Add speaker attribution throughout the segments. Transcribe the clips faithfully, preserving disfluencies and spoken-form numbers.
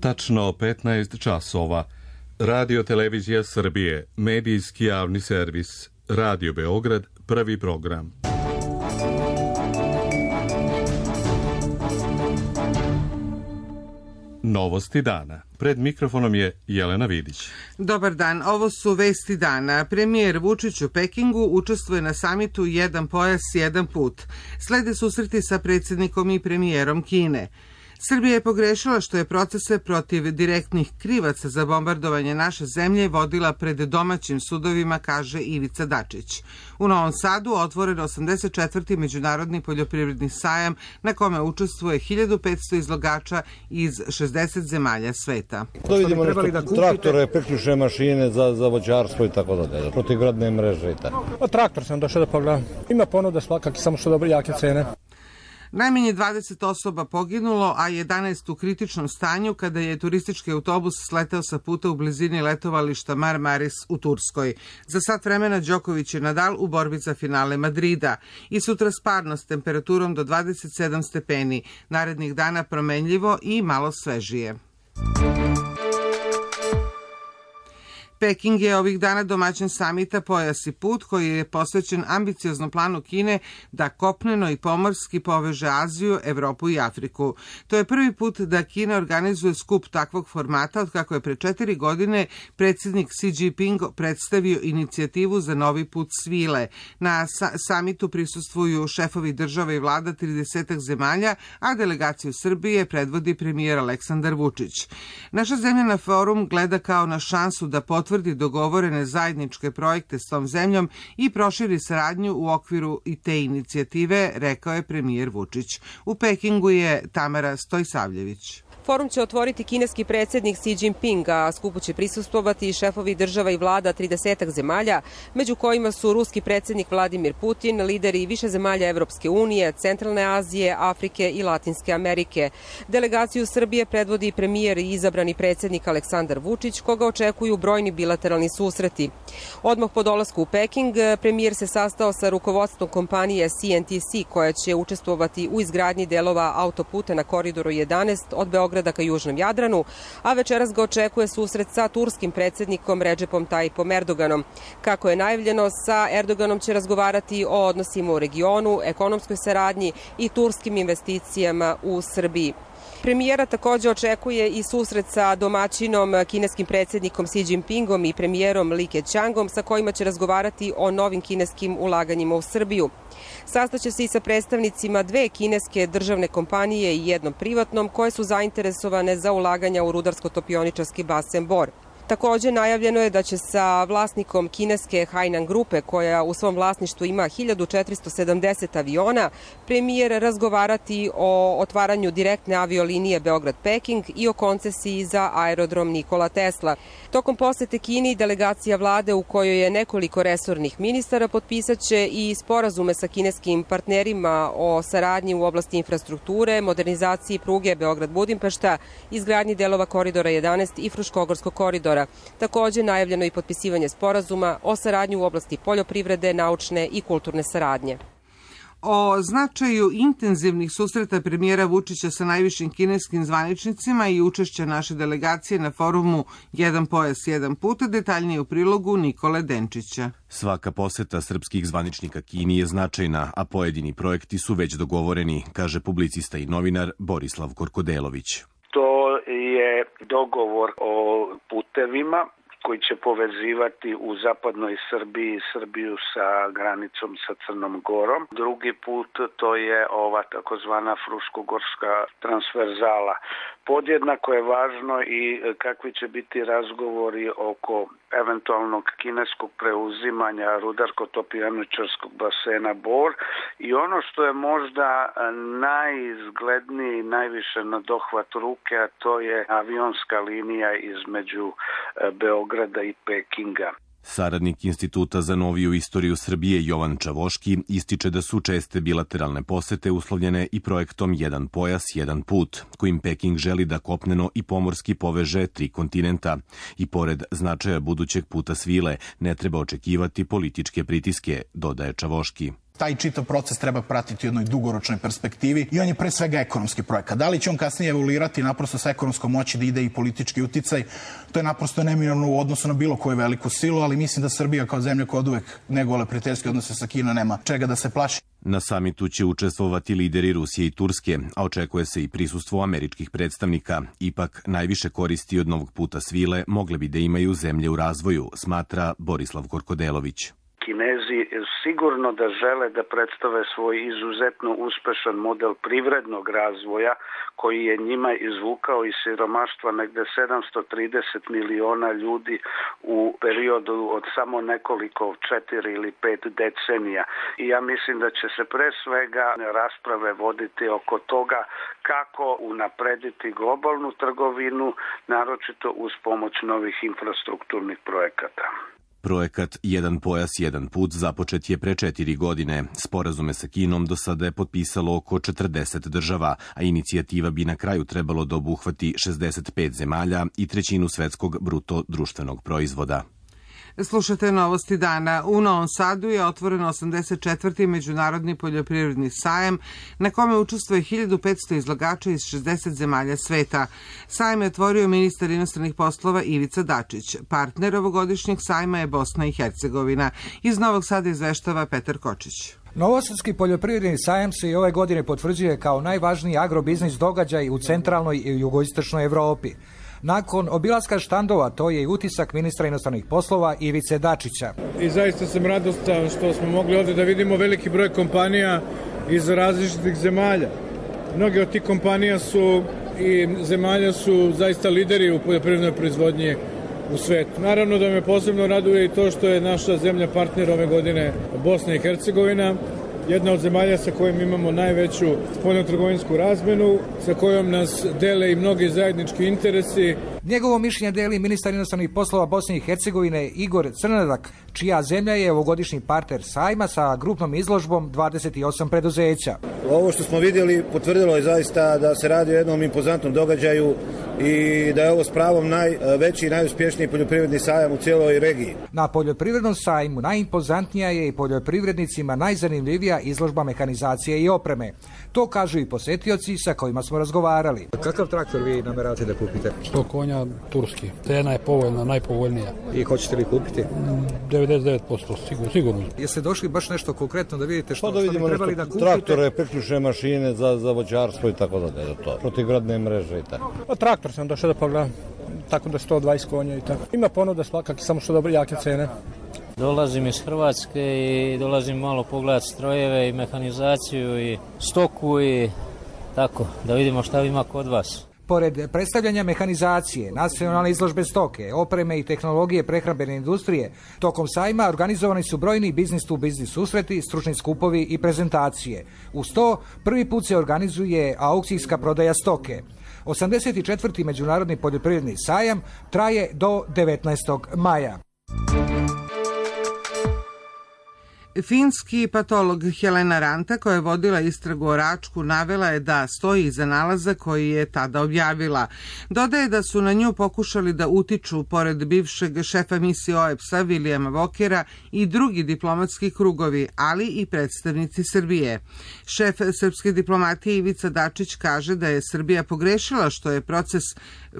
Speaker 1: Tačno petnaest časova. Radio Televizija Srbije, medijski javni servis, Radio Beograd, prvi program. Novosti dana. Pred mikrofonom je Jelena Vidić.
Speaker 2: Dobar dan, ovo su vesti dana. Premijer Vučić u Pekingu učestvuje na samitu Jedan pojas, jedan put. Slede susreti sa predsjednikom i premijerom Kine. Srbija je pogrešila što je procese protiv direktnih krivaca za bombardovanje naše zemlje vodila pred domaćim sudovima, kaže Ivica Dačić. U Novom Sadu otvoren osamdeset četvrti međunarodni poljoprivredni sajam na kome učestvuje hiljadu petsto izlogača iz šezdeset zemalja sveta.
Speaker 3: To vidimo nešto, traktore, priključne mašine za, za voćarstvo i tako dalje, protivgradne mreže i tako.
Speaker 4: O, traktor sam došao da pogledam. Ima ponuda svakaki, samo što dobre jake cene.
Speaker 2: Najmanje dvadeset osoba poginulo, a jedanaest u kritičnom stanju kada je turistički autobus sleteo sa puta u blizini letovališta Marmaris u Turskoj. Za sat vremena Đoković i Nadal u borbi za finale Madrida. I sutra sparno s temperaturom do dvadeset sedam stepeni. Narednih dana promenljivo i malo svežije. Peking je ovih dana domaćin samita Pojas i put, koji je posvećen ambicioznom planu Kine da kopneno i pomorski poveže Aziju, Evropu i Afriku. To je prvi put da Kina organizuje skup takvog formata od kako je pre četiri godine predsjednik Xi Jinping predstavio inicijativu za novi put svile. Na sa samitu prisustvuju šefovi država i vlada tridesetak zemalja, a delegaciju Srbije predvodi premijer Aleksandar Vučić. Naša zemlja na forum gleda kao na šansu da potvrdi dogovorene zajedničke projekte s tom zemljom i proširi saradnju u okviru i te inicijative, rekao je premijer Vučić. U Pekingu je Tamara Stojsavljević.
Speaker 5: Forum će otvoriti kineski predsjednik Xi Jinping, a skupu će prisustvovati šefovi država i vlada tridesetak zemalja, među kojima su ruski predsjednik Vladimir Putin, lideri više zemalja Evropske unije, Centralne Azije, Afrike i Latinske Amerike. Delegaciju Srbije predvodi premijer i izabrani predsjednik Aleksandar Vučić, koga očekuju brojni bilateralni susreti. Odmah po dolasku u Peking, premijer se sastao sa rukovodstvom kompanije C N T C, koja će učestvovati u izgradnji delova autoputa na Koridoru jedanaest od Beograda ka Južnom Jadranu, a večeras ga očekuje susret sa turskim predsjednikom Redžepom Tajipom Erdoganom. Kako je najavljeno, sa Erdoganom će razgovarati o odnosima u regionu, ekonomskoj saradnji i turskim investicijama u Srbiji. Premijera također očekuje i susret sa domaćinom kineskim predsjednikom Xi Jinpingom i premijerom Li Keqiangom, sa kojima će razgovarati o novim kineskim ulaganjima u Srbiju. Sastaće se i sa predstavnicima dve kineske državne kompanije i jednom privatnom, koje su zainteresovane za ulaganja u rudarsko-topioničarski basen Bor. Također najavljeno je da će sa vlasnikom kineske Hainan grupe, koja u svom vlasništvu ima hiljadu četiristo sedamdeset aviona, premijer razgovarati o otvaranju direktne aviolinije Beograd-Peking i o koncesiji za aerodrom Nikola Tesla. Tokom posete Kini, delegacija vlade u kojoj je nekoliko resornih ministara potpisat će i sporazume sa kineskim partnerima o saradnji u oblasti infrastrukture, modernizaciji pruge Beograd-Budimpešta, izgradnji delova Koridora jedanaest i Fruškogorskog koridora. Također najavljeno i potpisivanje sporazuma o saradnji u oblasti poljoprivrede, naučne i kulturne saradnje.
Speaker 2: O značaju intenzivnih susreta premijera Vučića sa najvišim kineskim zvaničnicima i učešća naše delegacije na forumu Jedan pojas, jedan put, detaljnije u prilogu Nikole Denčića.
Speaker 6: Svaka poseta srpskih zvaničnika Kini je značajna, a pojedini projekti su već dogovoreni, kaže publicista i novinar Borislav Korkodelović.
Speaker 7: To je dogovor o putevima koji će povezivati u zapadnoj Srbiji Srbiju sa granicom sa Crnom Gorom. Drugi put to je ova takozvana Fruškogorska transverzala. Podjednako je važno i kakvi će biti razgovori oko eventualnog kineskog preuzimanja rudarsko-topioničarskog basena Bor i ono što je možda najizgledniji, najviše na dohvat ruke, a to je avionska linija između Beograda i Pekinga.
Speaker 6: Saradnik Instituta za noviju istoriju Srbije Jovan Čavoški ističe da su česte bilateralne posete uslovljene i projektom Jedan pojas, jedan put, kojim Peking želi da kopneno i pomorski poveže tri kontinenta. I pored značaja budućeg puta svile, ne treba očekivati političke pritiske, dodaje Čavoški.
Speaker 8: Taj čitav proces treba pratiti u jednoj dugoročnoj perspektivi i on je pre svega ekonomski projekat. Da li će on kasnije evoluirati naprosto sa ekonomskom moći da ide i politički uticaj, to je naprosto neminovno u odnosu na bilo koju veliku silu, ali mislim da Srbija kao zemlja koja oduvek negovala prijateljske odnose sa Kinom nema čega da se plaši.
Speaker 6: Na samitu će učestvovati lideri Rusije i Turske, a očekuje se i prisustvo američkih predstavnika. Ipak, najviše koristi od novog puta svile mogle bi da imaju zemlje u razvoju, smatra Borislav Korkodelović.
Speaker 7: Kinezi sigurno da žele da predstave svoj izuzetno uspešan model privrednog razvoja koji je njima izvukao iz siromaštva negde sedamsto trideset miliona ljudi u periodu od samo nekoliko četiri ili pet decenija. I ja mislim da će se pre svega rasprave voditi oko toga kako unaprediti globalnu trgovinu, naročito uz pomoć novih infrastrukturnih projekata.
Speaker 6: Projekat Jedan pojas, jedan put započet je pre četiri godine. Sporazume sa Kinom do sada je potpisalo oko četrdeset država, a inicijativa bi na kraju trebalo da obuhvati šezdeset pet zemalja i trećinu svetskog bruto društvenog proizvoda.
Speaker 2: Slušate novosti dana. U Novom Sadu je otvoren osamdeset četvrti Međunarodni poljoprivredni sajam na kome učestvuje hiljadu petsto izlagača iz šezdeset zemalja sveta. Sajam je otvorio ministar inostranih poslova Ivica Dačić. Partner ovogodišnjeg sajma je Bosna i Hercegovina. Iz Novog Sada izveštava Petar Kočić.
Speaker 9: Novosadski poljoprivredni sajam se i ove godine potvrđuje kao najvažniji agrobiznis događaj u centralnoj i jugoistočnoj Evropi. Nakon obilaska štandova, to je i utisak ministra inostranih poslova Ivice Dačića.
Speaker 4: I zaista sam radostan što smo mogli ovdje da vidimo veliki broj kompanija iz različitih zemalja. Mnoge od tih kompanija su i zemalja su zaista lideri u poljoprivrednoj proizvodnji u svetu. Naravno da me posebno raduje i to što je naša zemlja partner ove godine Bosna i Hercegovina, jedna od zemalja sa kojom imamo najveću spoljnotrgovinsku razmenu, sa kojom nas dele i mnogi zajednički interesi.
Speaker 9: Njegovo mišljenje deli ministar inostranih poslova Bosne i Hercegovine Igor Crnadak, čija zemlja je ovogodišnji partner sajma sa grupnom izložbom dvadeset osam preduzeća.
Speaker 10: Ovo što smo vidjeli potvrdilo je zaista da se radi o jednom impozantnom događaju i da je ovo s pravom najveći i najuspješniji poljoprivredni sajam u cijeloj regiji.
Speaker 9: Na poljoprivrednom sajmu najimpozantnija je i poljoprivrednicima najzanimljivija izložba mehanizacije i opreme. To kažu i posetioci sa kojima smo razgovarali.
Speaker 11: Kakav traktor vi nameravate da kupite?
Speaker 12: sto konja turski. Cena je povoljna, najpovoljnija.
Speaker 11: I hoćete li kupiti?
Speaker 12: devedeset devet posto, sigurno. sigurno.
Speaker 9: Jeste došli baš nešto konkretno da vidite što,
Speaker 3: da
Speaker 9: što bi trebali da kupite?
Speaker 3: Traktore, priključne mašine za, za voćarstvo i tako da je to. Protivgradne mreže i tako.
Speaker 4: Pa traktor sam došao da pogledam. Tako da sto dvadeset konja i tako. Ima ponuda svakak, samo što dobre jake cene.
Speaker 13: Dolazim iz Hrvatske i dolazim malo pogledati strojeve i mehanizaciju i stoku i tako, da vidimo šta ima kod vas.
Speaker 9: Pored predstavljanja mehanizacije, nacionalne izložbe stoke, opreme i tehnologije prehrambene industrije, tokom sajma organizovani su brojni biznis tu biznis susreti, stručni skupovi i prezentacije. Uz to, prvi put se organizuje aukcijska prodaja stoke. osamdeset četvrti Međunarodni poljoprivredni sajam traje do devetnaestog maja.
Speaker 2: Finski patolog Helena Ranta, koja je vodila istragu o Račku, navela je da stoji iza nalaza koji je tada objavila. Dodaje da su na nju pokušali da utiču, pored bivšeg šefa misije O E P S-a Vilijama Vokera, i drugi diplomatski krugovi, ali i predstavnici Srbije. Šef srpske diplomatije Ivica Dačić kaže da je Srbija pogrešila što je proces,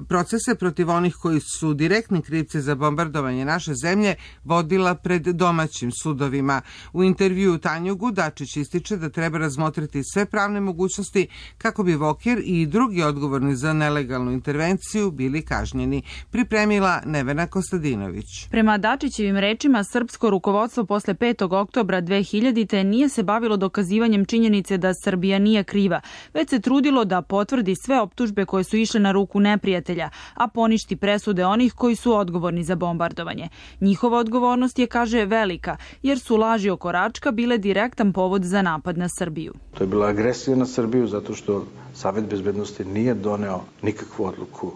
Speaker 2: procese protiv onih koji su direktni krivci za bombardovanje naše zemlje vodila pred domaćim sudovima. U intervjuu Tanjugu Dačić ističe da treba razmotriti sve pravne mogućnosti kako bi Voker i drugi odgovorni za nelegalnu intervenciju bili kažnjeni. Pripremila Nevena Kostadinović.
Speaker 14: Prema Dačićevim rečima, srpsko rukovodstvo posle petog oktobra dve hiljadite. nije se bavilo dokazivanjem činjenice da Srbija nije kriva, već se trudilo da potvrdi sve optužbe koje su išle na ruku neprijatelja, a poništi presude onih koji su odgovorni za bombardovanje. Njihova odgovornost je, kaže, velika, jer su laži oko Račka bile direktan povod za napad na Srbiju.
Speaker 15: To je bila agresija na Srbiju zato što Savet bezbednosti nije doneo nikakvu odluku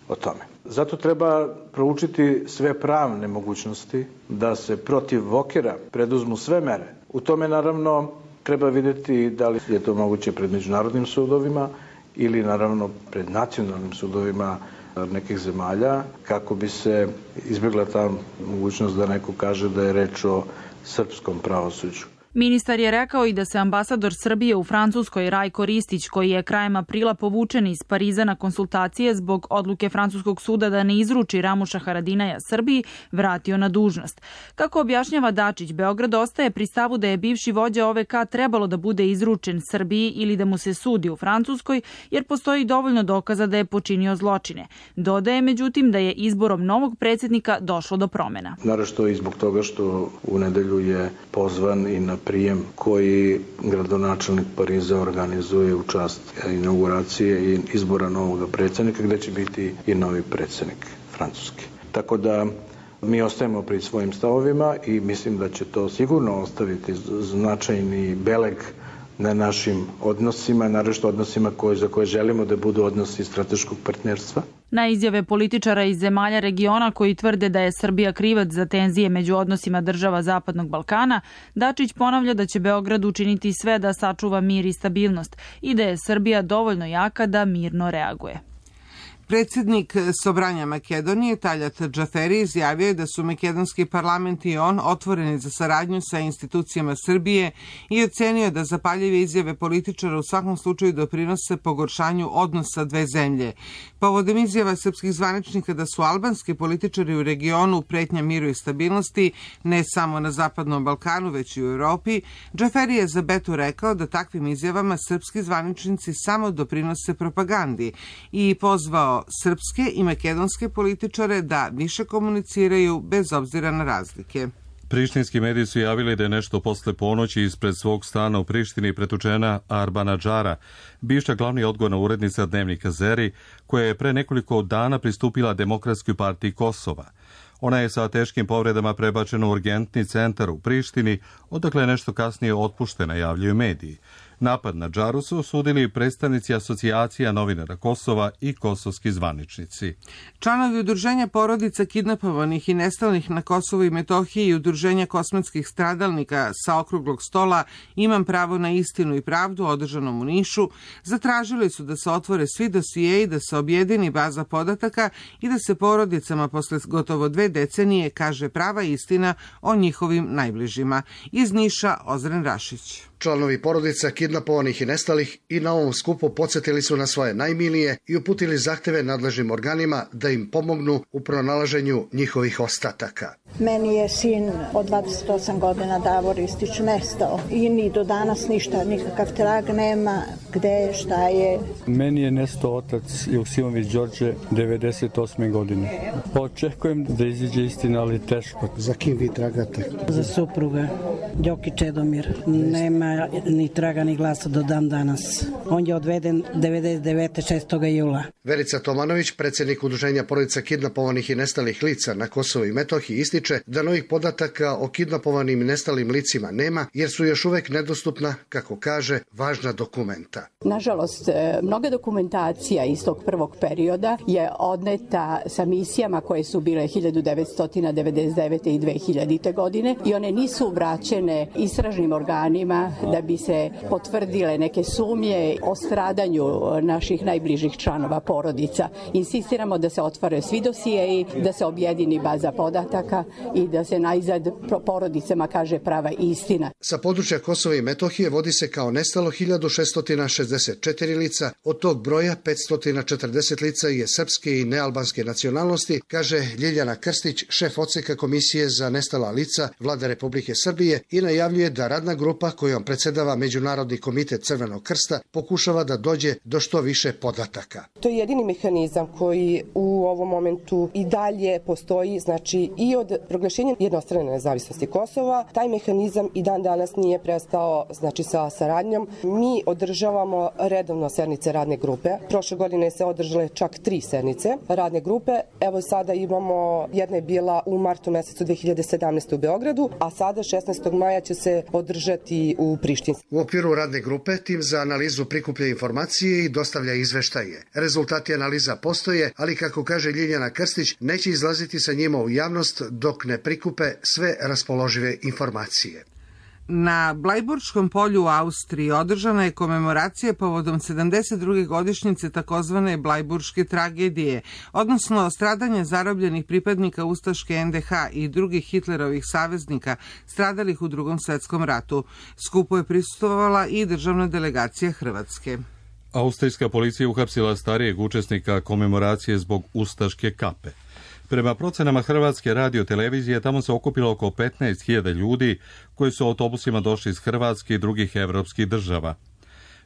Speaker 15: o tome. Zato treba proučiti sve pravne mogućnosti da se protiv Vokera preduzmu sve mere. U tome naravno treba vidjeti da li je to moguće pred međunarodnim sudovima ili naravno pred nacionalnim sudovima nekih zemalja, kako bi se izbjegla ta mogućnost da neko kaže da je reč o srpskom pravosuđu.
Speaker 14: Ministar je rekao i da se ambasador Srbije u Francuskoj Rajko Ristić, koji je krajem aprila povučen iz Pariza na konsultacije zbog odluke francuskog suda da ne izruči Ramuša Haradinaja Srbiji, vratio na dužnost. Kako objašnjava Dačić, Beograd ostaje pri stavu da je bivši vođa O V K trebalo da bude izručen Srbiji ili da mu se sudi u Francuskoj, jer postoji dovoljno dokaza da je počinio zločine. Dodaje međutim da je izborom novog predsjednika došlo do promjena.
Speaker 15: Naravno i zbog toga što u nedelju je pozvan i na prijem koji gradonačelnik Pariza organizuje u čast inauguracije i izbora novog predsjednika, gde će biti i novi predsjednik Francuski. Tako da mi ostajemo pri svojim stavovima i mislim da će to sigurno ostaviti značajni beleg na našim odnosima, naročito odnosima koje, za koje želimo da budu odnosi strateškog partnerstva.
Speaker 14: Na izjave političara iz zemalja regiona koji tvrde da je Srbija krivac za tenzije među odnosima država Zapadnog Balkana, Dačić ponavlja da će Beograd učiniti sve da sačuva mir i stabilnost i da je Srbija dovoljno jaka da mirno reaguje.
Speaker 2: Predsjednik Sobranja Makedonije, Taljat Džaferi, izjavio je da su makedonski parlament i on otvoreni za saradnju sa institucijama Srbije i ocenio da zapaljive izjave političara u svakom slučaju doprinose pogoršanju odnosa dve zemlje. Povodom izjava srpskih zvaničnika da su albanski političari u regionu pretnja miru i stabilnosti, ne samo na Zapadnom Balkanu, već i u Europi, Džaferi je za Betu rekao da takvim izjavama srpski zvaničnici samo doprinose propagandi i pozvao srpske i makedonske političare da više komuniciraju bez obzira na razlike.
Speaker 1: Prištinski mediji su javili da je nešto posle ponoći ispred svog stana u Prištini pretučena Arbana Džara, bivša glavni odgovorna urednica dnevnika Zeri, koja je pre nekoliko dana pristupila Demokratskoj partiji Kosova. Ona je sa teškim povredama prebačena u urgentni centar u Prištini, odakle je nešto kasnije otpuštena, javljaju mediji. Napad na Džaru su osudili predstavnici asocijacija novinara Kosova i kosovski zvaničnici.
Speaker 2: Članovi udruženja porodica kidnapovanih i nestalih na Kosovu i Metohiji i udruženja kosmetskih stradalnika sa okruglog stola Imam pravo na istinu i pravdu održanom u Nišu zatražili su da se otvore svi dosijeji i da se objedini baza podataka i da se porodicama posle gotovo dve decenije kaže prava istina o njihovim najbližima. Iz Niša Ozren Rašić.
Speaker 16: Članovi porodica kidnapovanih i nestalih i na ovom skupu podsjetili su na svoje najmilije i uputili zahteve nadležnim organima da im pomognu u pronalaženju njihovih ostataka.
Speaker 17: Meni je sin od dvadeset osam godina Davor Istić nestao i ni do danas ništa, nikakav trag nema, gde je, šta je.
Speaker 18: Meni je nestao otac Joksimović Đorđe devedeset osme godine. Očekujem da iziđe istina, ali teško.
Speaker 19: Za kim vi tragate?
Speaker 20: Za supruga, Đoki Čedomir. Nema ni traga ni glasa do dan danas. On je odveden devedeset devete. šestog jula.
Speaker 16: Verica Tomanović, predsjednik udruženja porodica kidnapovanih i nestalih lica na Kosovu i Metohiji, ističe da novih podataka o kidnapovanim i nestalim licima nema, jer su još uvek nedostupna, kako kaže, važna dokumenta.
Speaker 21: Nažalost, mnoga dokumentacija iz tog prvog perioda je odneta sa misijama koje su bile hiljadu devetsto devedeset devete. i dve hiljadite. godine i one nisu vraćene istražnim organima da bi se potvrdile neke sumnje o stradanju naših najbližih članova porodica. Insistiramo da se otvore svi dosijeji, da se objedini baza podataka i da se najzad porodicama kaže prava istina.
Speaker 16: Sa područja Kosova i Metohije vodi se kao nestalo hiljadu šessto šezdeset četiri lica, od tog broja petsto četrdeset lica je srpske i nealbanske nacionalnosti, kaže Ljiljana Krstić, šef odseka Komisije za nestala lica Vlade Republike Srbije i najavljuje da radna grupa kojom predsedava Međunarodni komitet Crvenog krsta pokušava da dođe do što više podataka.
Speaker 22: To je jedini mehanizam koji u ovom momentu i dalje postoji, znači i od proglašenja jednostrane nezavisnosti Kosova, taj mehanizam i dan danas nije prestao, znači sa saradnjom. Mi održavamo redovno sednice radne grupe. Prošle godine se održale čak tri sednice radne grupe. Evo sada imamo, jedna je bila u martu mesecu dve hiljade sedamnaeste. u Beogradu, a sada šesnaestog maja će se održati u Prištini.
Speaker 16: U okviru radne grupe tim za analizu prikuplja informacije i dostavlja izveštaje. Rezultati analiza postoje, ali kako kaže Ljiljana Krstić, neće izlaziti sa njima u javnost dok ne prikupe sve raspoložive informacije.
Speaker 2: Na Blajburškom polju u Austriji održana je komemoracija povodom sedamdeset druge godišnjice takozvane Blajburške tragedije, odnosno stradanja zarobljenih pripadnika ustaške en de ha i drugih Hitlerovih saveznika stradalih u Drugom svetskom ratu. Skupu je prisustvovala i državna delegacija Hrvatske.
Speaker 1: Austrijska policija uhapsila starijeg učesnika komemoracije zbog ustaške kape. Prema procenama Hrvatske radiotelevizije, tamo se okupilo oko petnaest hiljada ljudi koji su autobusima došli iz Hrvatske i drugih evropskih država.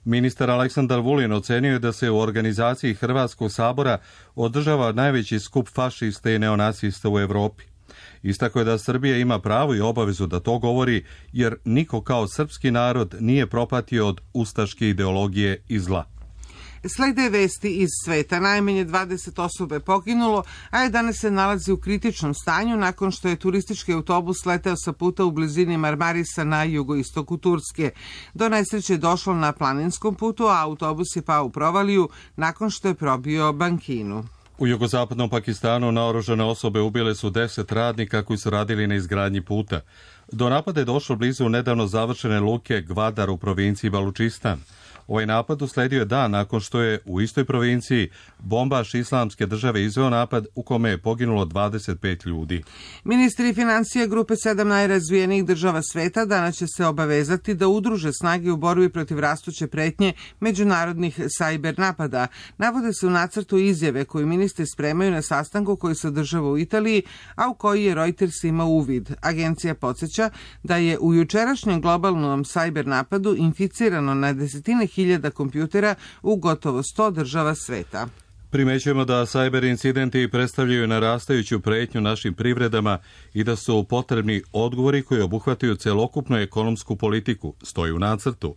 Speaker 1: Ministar Aleksandar Vulin ocenio je da se u organizaciji Hrvatskog sabora održava najveći skup fašista i neonacista u Evropi. Istako je da Srbija ima pravo i obavezu da to govori, jer niko kao srpski narod nije propatio od ustaške ideologije i zla.
Speaker 2: Slede vesti iz sveta. Najmanje dvadeset osoba je poginulo, a danas se nalazi u kritičnom stanju nakon što je turistički autobus leteo sa puta u blizini Marmarisa na jugoistoku Turske. Do nesreće je došlo na planinskom putu, a autobus je pao u provaliju nakon što je probio bankinu.
Speaker 1: U jugozapadnom Pakistanu naoružane osobe ubile su deset radnika koji su radili na izgradnji puta. Do napada je došlo blizu nedavno završene luke Gvadar u provinciji Balučistan. Ovaj napad usledio je dan nakon što je u istoj provinciji bombaš Islamske države izveo napad u kome je poginulo dvadeset pet ljudi.
Speaker 2: Ministri financija grupe sedam najrazvijenijih država sveta danas će se obavezati da udruže snage u borbi protiv rastuće pretnje međunarodnih sajber napada. Navode se u nacrtu izjave koju ministri spremaju na sastanku koji se održava u Italiji, a u koji je Reuters imao uvid. Agencija podsjeća da je u jučerašnjem globalnom sajber napadu inficirano na desetine hiljada kompjutera u gotovo sto država sveta.
Speaker 1: Primećujemo da sajber incidenti predstavljaju narastajuću pretnju našim privredama i da su potrebni odgovori koji obuhvataju celokupnu ekonomsku politiku, stoji u nacrtu.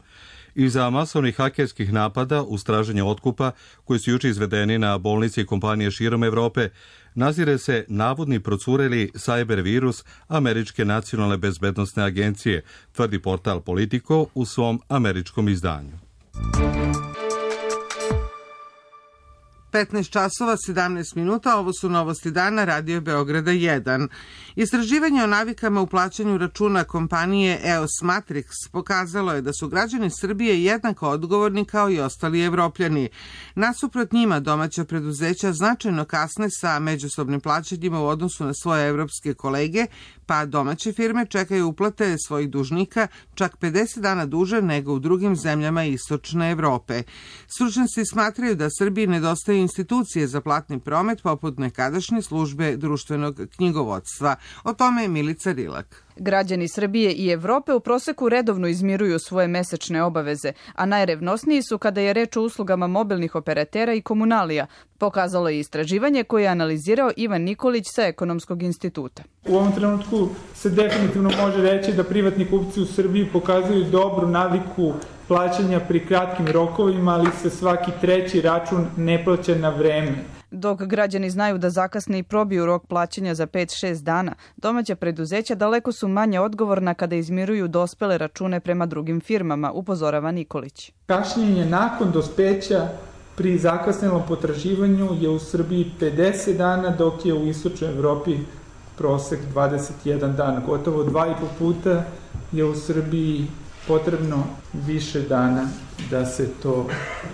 Speaker 1: Iza masovnih hakerskih napada uz traženje otkupa, koji su juče izvedeni na bolnici i kompanije širom Evrope, nazire se navodni procureli sajber virus Američke nacionalne bezbednosne agencije, tvrdi portal Politico u svom američkom izdanju.
Speaker 2: petnaest časova sedamnaest minuta, ovo su novosti dana, Radio Beograda jedan. Istraživanje o navikama u plaćanju računa kompanije E O S Matrix pokazalo je da su građani Srbije jednako odgovorni kao i ostali Evropljani. Nasuprot njima, domaća preduzeća značajno kasne sa međusobnim plaćanjima u odnosu na svoje evropske kolege, pa domaće firme čekaju uplate svojih dužnika čak pedeset dana duže nego u drugim zemljama istočne Evrope. Stručnjaci smatraju da Srbiji nedostaju institucije za platni promet poput nekadašnje službe društvenog knjigovodstva. O tome je Milica Rilak.
Speaker 5: Građani Srbije i Evrope u proseku redovno izmiruju svoje mesečne obaveze, a najrevnosniji su kada je reč o uslugama mobilnih operatera i komunalija, pokazalo je istraživanje koje je analizirao Ivan Nikolić sa Ekonomskog instituta.
Speaker 19: U ovom trenutku se definitivno može reći da privatni kupci u Srbiji pokazuju dobru naviku plaćanja pri kratkim rokovima, ali se svaki treći račun ne plaća na vreme.
Speaker 5: Dok građani znaju da zakasne i probiju rok plaćanja za pet do šest dana, domaća preduzeća daleko su manje odgovorna kada izmiruju dospele račune prema drugim firmama, upozorava Nikolić.
Speaker 19: Kašnjenje nakon dospeća pri zakasnelom potraživanju je u Srbiji pedeset dana, dok je u istočnoj Evropi prosek dvadeset jedan dan. Gotovo dva i po puta je u Srbiji potrebno više dana da se to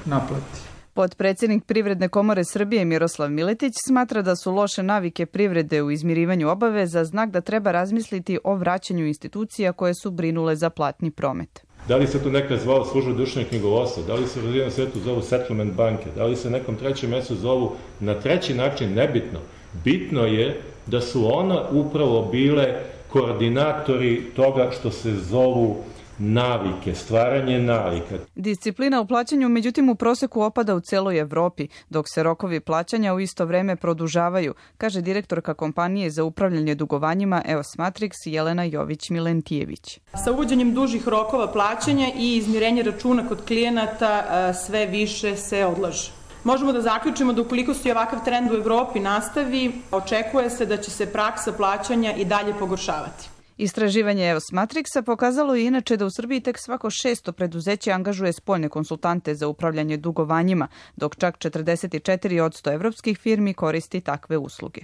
Speaker 19: naplati.
Speaker 5: Potpredsednik Privredne komore Srbije Miroslav Miletić smatra da su loše navike privrede u izmirivanju obaveza znak da treba razmisliti o vraćanju institucija koje su brinule za platni promet.
Speaker 23: Da li se to nekad zvao služba društvenog knjigovodstva, da li se u razvijenom svetu zovu settlement banke, da li se nekom trećem mesecu zovu na treći način, nebitno. Bitno je da su ona upravo bile koordinatori toga što se zovu navike, stvaranje navika.
Speaker 5: Disciplina u plaćanju međutim u proseku opada u celoj Evropi, dok se rokovi plaćanja u isto vreme produžavaju, kaže direktorka kompanije za upravljanje dugovanjima E O S Matrix Jelena Jović-Milentijević.
Speaker 24: Sa uvođenjem dužih rokova plaćanja i izmirenje računa kod klijenata sve više se odlaže. Možemo da zaključimo da ukoliko se ovakav trend u Evropi nastavi, očekuje se da će se praksa plaćanja i dalje pogoršavati.
Speaker 5: Istraživanje E O S Matrixa pokazalo je inače da u Srbiji tek svako šesto preduzeće angažuje spoljne konsultante za upravljanje dugovanjima, dok čak četrdeset četiri posto evropskih firmi koristi takve usluge.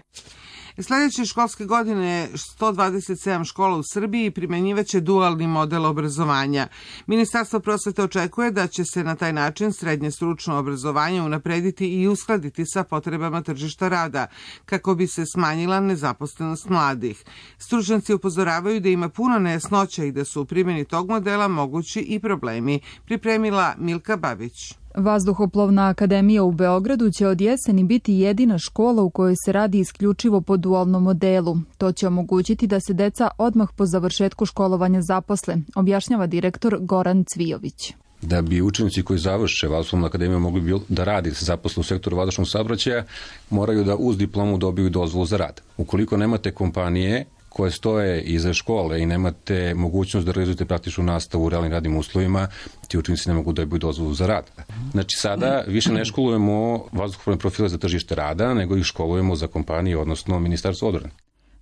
Speaker 2: Sljedeće školske godine sto dvadeset sedam škola u Srbiji primenjivaće dualni model obrazovanja. Ministarstvo prosvete očekuje da će se na taj način srednje stručno obrazovanje unaprediti i uskladiti sa potrebama tržišta rada, kako bi se smanjila nezaposlenost mladih. Stručnjaci upozoravaju da ima puno nejasnoća i da su u primjeni tog modela mogući i problemi. Pripremila Milka Babić.
Speaker 5: Vazduhoplovna akademija u Beogradu će od jeseni biti jedina škola u kojoj se radi isključivo po dualnom modelu. To će omogućiti da se deca odmah po završetku školovanja zaposle, objašnjava direktor Goran Cvijović.
Speaker 6: Da bi učenici koji završe Vazduhoplovnu akademiju mogli da radi, da se zaposle u sektoru vazdušnog saobraćaja, moraju da uz diplomu dobiju dozvolu za rad. Ukoliko nemate kompanije koje stoje iza škole i nemate mogućnost da realizujete praktičnu nastavu u realnim radnim uslovima, ti učenici ne mogu da dobiju dozvolu za rad. Znači sada više ne školujemo vazduhoplovne profile za tržište rada, nego ih školujemo za kompanije, odnosno Ministarstvo odbrane.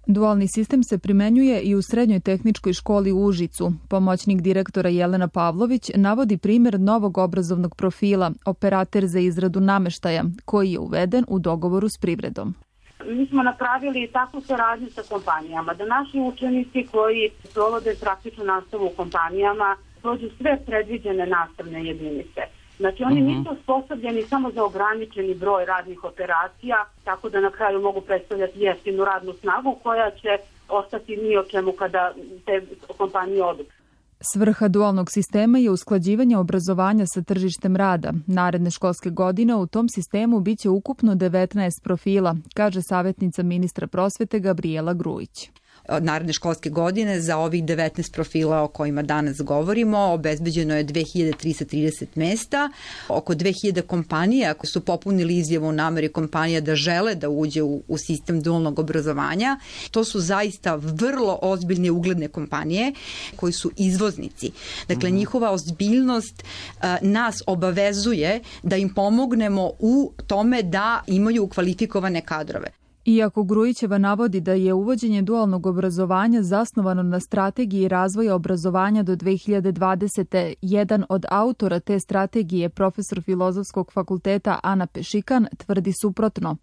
Speaker 5: Dualni sistem se primenjuje i u Srednjoj tehničkoj školi u Užicu. Pomoćnik direktora Jelena Pavlović navodi primjer novog obrazovnog profila, operater za izradu nameštaja, koji je uveden u dogovoru s privredom.
Speaker 7: Mi smo napravili takvu saradnju sa kompanijama, da naši učenici koji provode praktičnu nastavu u kompanijama prođu sve predviđene nastavne jedinice. Znači oni nisu osposobljeni samo za ograničeni broj radnih operacija, tako da na kraju mogu predstavljati jeftinu radnu snagu koja će ostati ni o čemu kada te kompanije odu.
Speaker 5: Svrha dualnog sistema je usklađivanje obrazovanja sa tržištem rada. Naredne školske godine u tom sistemu biće ukupno devetnaest profila, kaže savjetnica ministra prosvete Gabrijela Grujić.
Speaker 8: Od naredne školske godine za ovih devetnaest profila o kojima danas govorimo obezbeđeno je dve hiljade trista trideset mesta. Oko dve hiljade kompanija koje su popunili izjavu o nameri kompanija da žele da uđe u, u sistem dualnog obrazovanja. To su zaista vrlo ozbiljne ugledne kompanije koji su izvoznici. Dakle, mm-hmm. njihova ozbiljnost a, nas obavezuje da im pomognemo u tome da imaju kvalifikovane kadrove.
Speaker 5: Iako Grujićeva navodi da je uvođenje dualnog obrazovanja zasnovano na strategiji razvoja obrazovanja do dve hiljade dvadesete. jedan od autora te strategije, profesor Filozofskog fakulteta Ana Pešikan, tvrdi suprotno.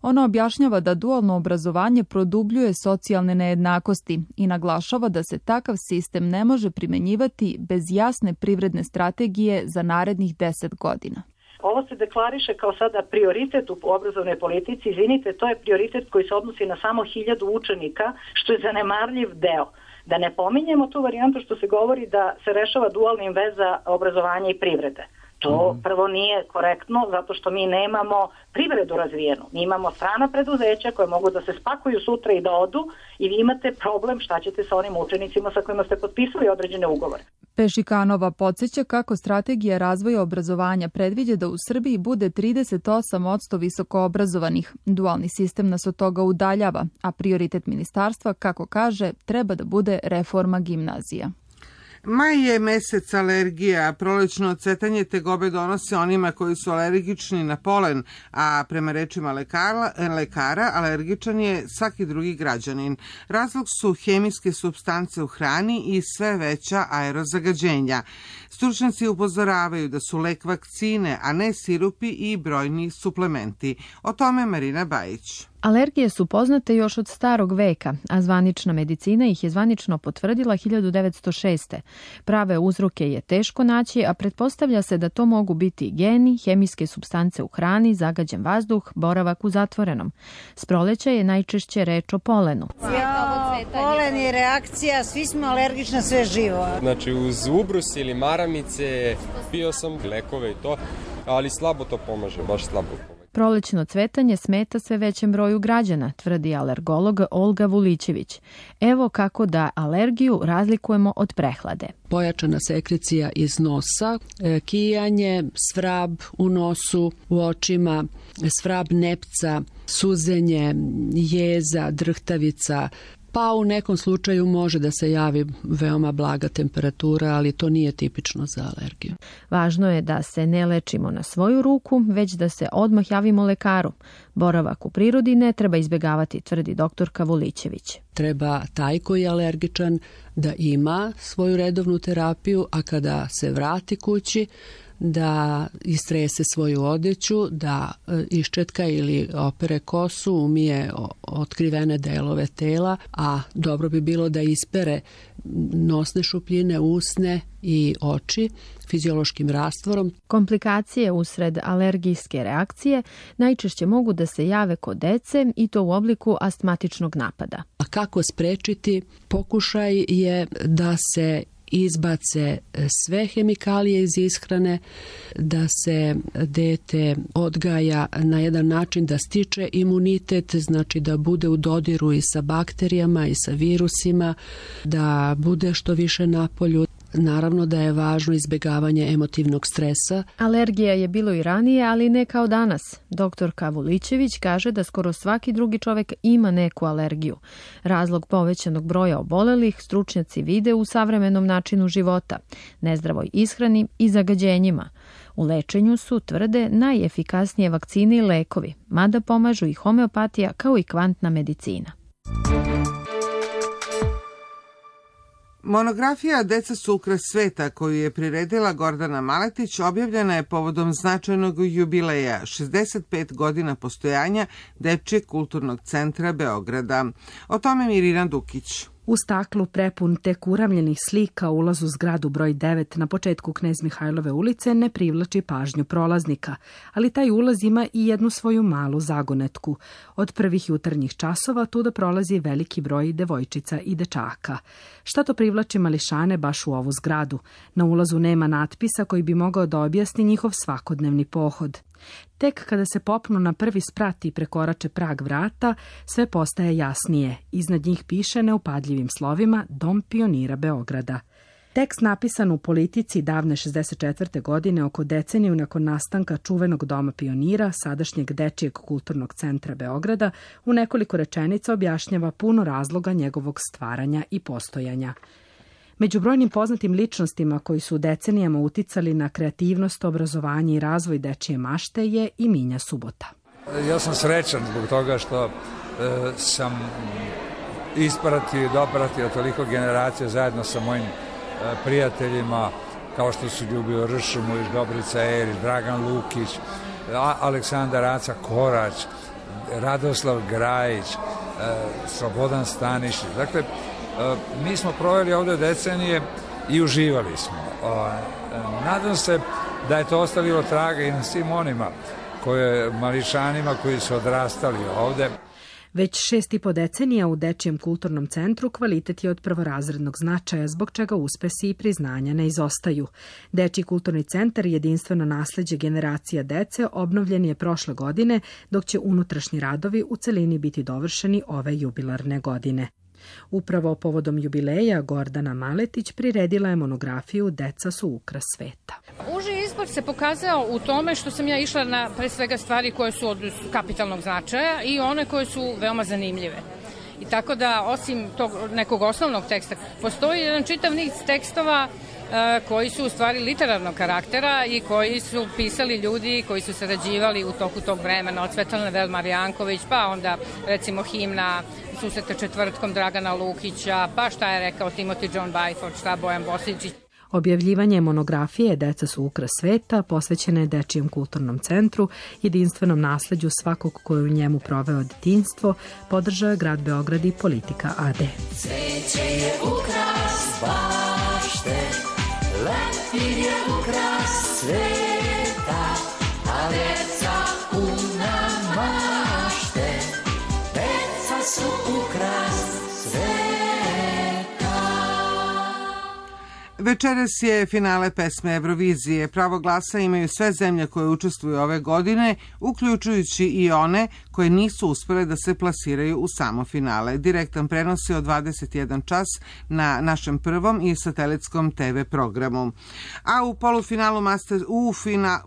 Speaker 5: Ona objašnjava da dualno obrazovanje produbljuje socijalne nejednakosti i naglašava da se takav sistem ne može primenjivati bez jasne privredne strategije za narednih deset godina.
Speaker 7: Ovo se deklariše kao sada prioritet u obrazovnoj politici. Izvinite, to je prioritet koji se odnosi na samo hiljadu učenika, što je zanemarljiv deo. Da ne pominjemo tu varijantu što se govori da se rešava dualnim veza obrazovanja i privrede. To prvo nije korektno zato što mi nemamo privredu razvijenu. Mi imamo strana preduzeća koje mogu da se spakuju sutra i da odu i vi imate problem šta ćete sa onim učenicima sa kojima ste potpisali određene ugovore.
Speaker 5: Pešikanova podsjeća kako strategija razvoja obrazovanja predviđa da u Srbiji bude trideset osam posto visoko obrazovanih. Dualni sistem nas od toga udaljava, a prioritet ministarstva, kako kaže, treba da bude reforma gimnazija.
Speaker 2: Maj je mesec alergija, prolećno cvetanje tegobe donose onima koji su alergični na polen, a prema rečima lekara, lekara alergičan je svaki drugi građanin. Razlog su hemijske supstance u hrani i sve veća aerozagađenja. Stručnjaci upozoravaju da su lek vakcine, a ne sirupi i brojni suplementi. O tome Marina Bajić.
Speaker 10: Alergije su poznate još od starog veka, a zvanična medicina ih je zvanično potvrdila hiljadu devetsto šeste. Prave uzroke je teško naći, a pretpostavlja se da to mogu biti geni, hemijske supstance u hrani, zagađen vazduh, boravak u zatvorenom. S proleća je najčešće reč o polenu.
Speaker 25: Ja, polen je reakcija, svi smo alergični na sve živo.
Speaker 26: Znači uz ubrus ili maramice pio sam lekove i to, ali slabo to pomaže, baš slabo pomaže.
Speaker 10: Prolećno cvetanje smeta sve većem broju građana, tvrdi alergolog Olga Vulićević. Evo kako da alergiju razlikujemo od prehlade.
Speaker 27: Pojačana sekrecija iz nosa, kijanje, svrab u nosu, u očima, svrab nepca, suzenje, jeza, drhtavica, pa u nekom slučaju može da se javi veoma blaga temperatura, ali to nije tipično za alergiju.
Speaker 10: Važno je da se ne lečimo na svoju ruku, već da se odmah javimo lekaru. Boravak u prirodi ne treba izbjegavati, tvrdi doktorka Vulićević.
Speaker 27: Treba taj koji je alergičan da ima svoju redovnu terapiju, a kada se vrati kući, da istrese svoju odeću, da iščetka ili opere kosu, umije otkrivene delove tela, a dobro bi bilo da ispere nosne šupljine, usne i oči fiziološkim rastvorom.
Speaker 10: Komplikacije usred alergijske reakcije najčešće mogu da se jave kod dece i to u obliku astmatičnog napada.
Speaker 27: A kako sprečiti? Pokušaj je da se izbace sve hemikalije iz ishrane, da se dete odgaja na jedan način da stiče imunitet, znači da bude u dodiru i sa bakterijama i sa virusima, da bude što više napolju. Naravno da je važno izbjegavanje emotivnog stresa.
Speaker 10: Alergija je bilo i ranije, ali ne kao danas. Doktor Kavulićević kaže da skoro svaki drugi čovjek ima neku alergiju. Razlog povećanog broja obolelih stručnjaci vide u savremenom načinu života, nezdravoj ishrani i zagađenjima. U lečenju su, tvrde, najefikasnije vakcine i lekovi, mada pomažu i homeopatija kao i kvantna medicina.
Speaker 2: Monografija Deca su ukras sveta, koju je priredila Gordana Maletić, objavljena je povodom značajnog jubileja, šezdeset pet godina postojanja Dečijeg kulturnog centra Beograda. O tome Mirina Dukić.
Speaker 3: U staklu prepun tek uramljenih slika ulaz u zgradu broj devet na početku Knez Mihajlove ulice ne privlači pažnju prolaznika, ali taj ulaz ima i jednu svoju malu zagonetku. Od prvih jutarnjih časova tuda prolazi veliki broj devojčica i dečaka. Šta to privlači mališane baš u ovu zgradu? Na ulazu nema natpisa koji bi mogao da objasni njihov svakodnevni pohod. Tek kada se popnu na prvi sprat i prekorače prag vrata, sve postaje jasnije. Iznad njih piše neupadljivim slovima Dom pionira Beograda. Tekst napisan u Politici davne šezdeset četvrte godine, oko deceniju nakon nastanka čuvenog Doma pionira, sadašnjeg Dečijeg kulturnog centra Beograda, u nekoliko rečenica objašnjava puno razloga njegovog stvaranja i postojanja. Među brojnim poznatim ličnostima koji su decenijama uticali na kreativnost, obrazovanje i razvoj dečije mašte je i Minja Subota.
Speaker 4: Ja sam srećan zbog toga što e, sam ispratio i dopratio toliko generacija zajedno sa mojim e, prijateljima kao što su Ljubio Ršumović, Dobrica Erić, Dragan Lukić, A, Aleksandar Aca Korać, Radoslav Grajić, e, Slobodan Stanišić. Dakle, mi smo proveli ovde decenije i uživali smo. Nadam se da je to ostavilo traga i na svim onima koje, mališanima koji su odrastali ovde.
Speaker 3: Već šest i po decenija u Dečijem kulturnom centru kvalitet je od prvorazrednog značaja, zbog čega uspesi i priznanja ne izostaju. Dečiji kulturni centar, jedinstveno nasleđe generacija dece, obnovljen je prošle godine, dok će unutrašnji radovi u celini biti dovršeni ove jubilarne godine. Upravo povodom jubileja Gordana Maletić priredila je monografiju Deca su ukras sveta.
Speaker 9: Uži izbor se pokazao u tome što sam ja išla na pre svega stvari koje su od kapitalnog značaja i one koje su veoma zanimljive. I tako da, osim tog nekog osnovnog teksta, postoji jedan čitav niz tekstova koji su u stvari literarnog karaktera i koji su pisali ljudi koji su sarađivali u toku tog vremena, od Svetlane Velmar Janković, pa onda recimo himna Susreta četvrtkom Dragana Lukića, pa šta je rekao Timothy John Byford, šta Bojan Bosičić.
Speaker 3: Objavljivanje monografije Deca su ukras sveta posvećene je Dečijem kulturnom centru, jedinstvenom nasleđu svakog koji u njemu proveo detinjstvo, podržao je grad Beograd i Politika a de.
Speaker 11: Cveće je ukras bašte, leptir je ukras sveta, a deca puna mašte, deca su ukras sveta.
Speaker 2: Večeras je finale pesme Eurovizije. Pravo glasa imaju sve zemlje koje učestvuju ove godine, uključujući i one koje nisu uspele da se plasiraju u samo finale. Direktan prenos je od dvadeset jedan čas na našem prvom i satelitskom te ve programu. A u polufinalu Master, u fina,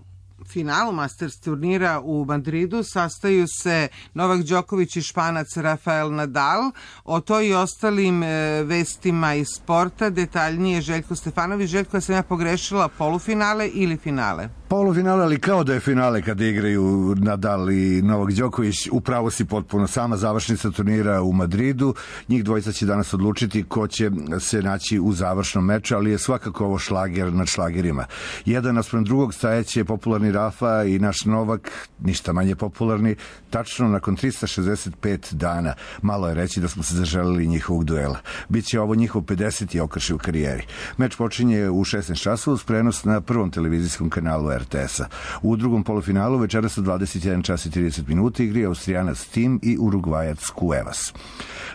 Speaker 2: finalu Masters turnira u Madridu sastaju se Novak Đoković i Španac Rafael Nadal. O to i ostalim e, vestima iz sporta detaljnije Željko Stefanović. Željko, sam ja pogrešila, polufinale ili finale?
Speaker 12: Polufinale, ali kao da je finale kada igraju Nadal i Novak Đoković. Upravo si potpuno sama završnica turnira u Madridu. Njih dvojica će danas odlučiti ko će se naći u završnom meču, ali je svakako ovo šlager nad šlagerima. Jedan naspram drugog stajeće popularni Rafa i naš Novak, ništa manje popularni, tačno nakon trista šezdeset pet dana. Malo je reći da smo se zaželili njihovog duela. Biće ovo njihov pedeseti okršaj u karijeri. Meč počinje u šesnaest časova uz prenos na prvom televizijskom kanalu R T S-a. U drugom polufinalu večeras u dvadeset jedan čas i trideset minuta igri Austrijanac Tim i Urugvajac Cuevas.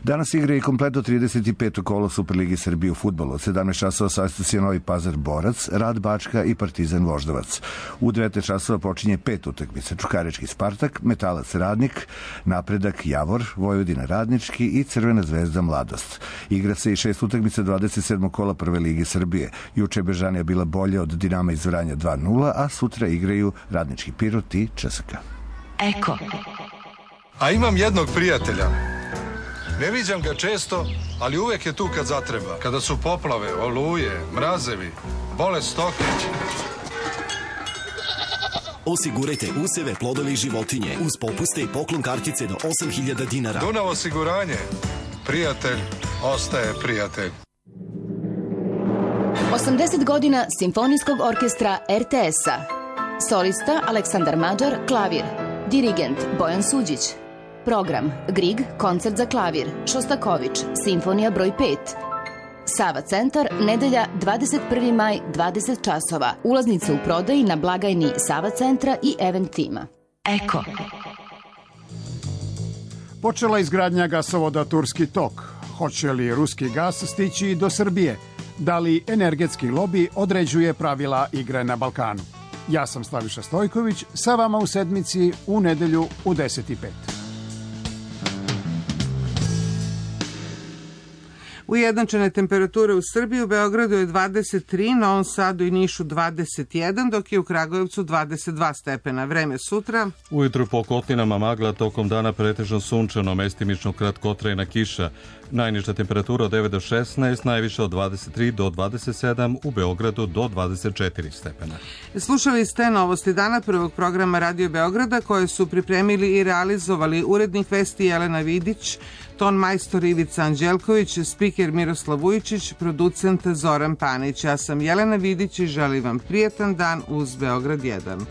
Speaker 12: Danas igra i kompletno trideset peto kolo Superligi Srbije u fudbalu. Od sedamnaest časova sastat se Novi Pazar Borac, Rad Bačka i Partizan Voždovac. U devetnaest časova počinje pet utakmica: Čukarički Spartak, Metalac Radnik, Napredak Javor, Vojvodina Radnički i Crvena zvezda Mladost. Igra se i šest utakmica dvadeset sedmog kola Prve lige Srbije. Juče je Bežanija bila bolja od Dinama iz Vranja dva nula, a sutra igraju Radnički Pirot i C S K A.
Speaker 13: Eko. A imam jednog prijatelja. Ne viđam ga često, ali uvek je tu kad zatreba. Kada su poplave, oluje, mrazevi, bolest stoke.
Speaker 14: Osigurajte useve, plodove i životinje uz popuste i poklon kartice do osam hiljada dinara.
Speaker 13: Dunav osiguranje. Prijatelj ostaje prijatelj.
Speaker 15: osamdeset godina Simfonijskog orkestra R T S-a. Solista Aleksandar Mađar, klavir. Dirigent Bojan Suđić. Program Grieg, koncert za klavir, Šostaković, Simfonija broj pet. Sava centar, nedelja dvadeset prvi maj, dvadeset časova. Ulaznice u prodaji na blagajni Sava centra i Event tima. Eko.
Speaker 17: Počela izgradnja gasovoda Turski tok. Hoće li ruski gas stići do Srbije? Da li energetski lobi određuje pravila igre na Balkanu? Ja sam Slaviša Stojković, sa vama u sedmici u nedelju u deset i pet.
Speaker 2: Ujednačene temperature u Srbiji, u Beogradu je dvadeset tri, Novom Sadu i Nišu dvadeset jedan, dok je u Kragujevcu dvadeset dva stepena. Vreme sutra.
Speaker 1: Ujutru po Kotlinama magla, tokom dana pretežno sunčano, mestimično kratkotrajna kiša. Najniža temperatura od devet do šesnaest, najviša od dvadeset tri do dvadeset sedam, u Beogradu do dvadeset četiri stepena.
Speaker 2: Slušali ste novosti dana prvog programa Radio Beograda, koje su pripremili i realizovali urednik vesti Jelena Vidić, ton majstor Ivica Anđelković, spiker Miroslav Vujčić, producent Zoran Panić. Ja sam Jelena Vidić i želim vam prijetan dan uz Beograd jedan.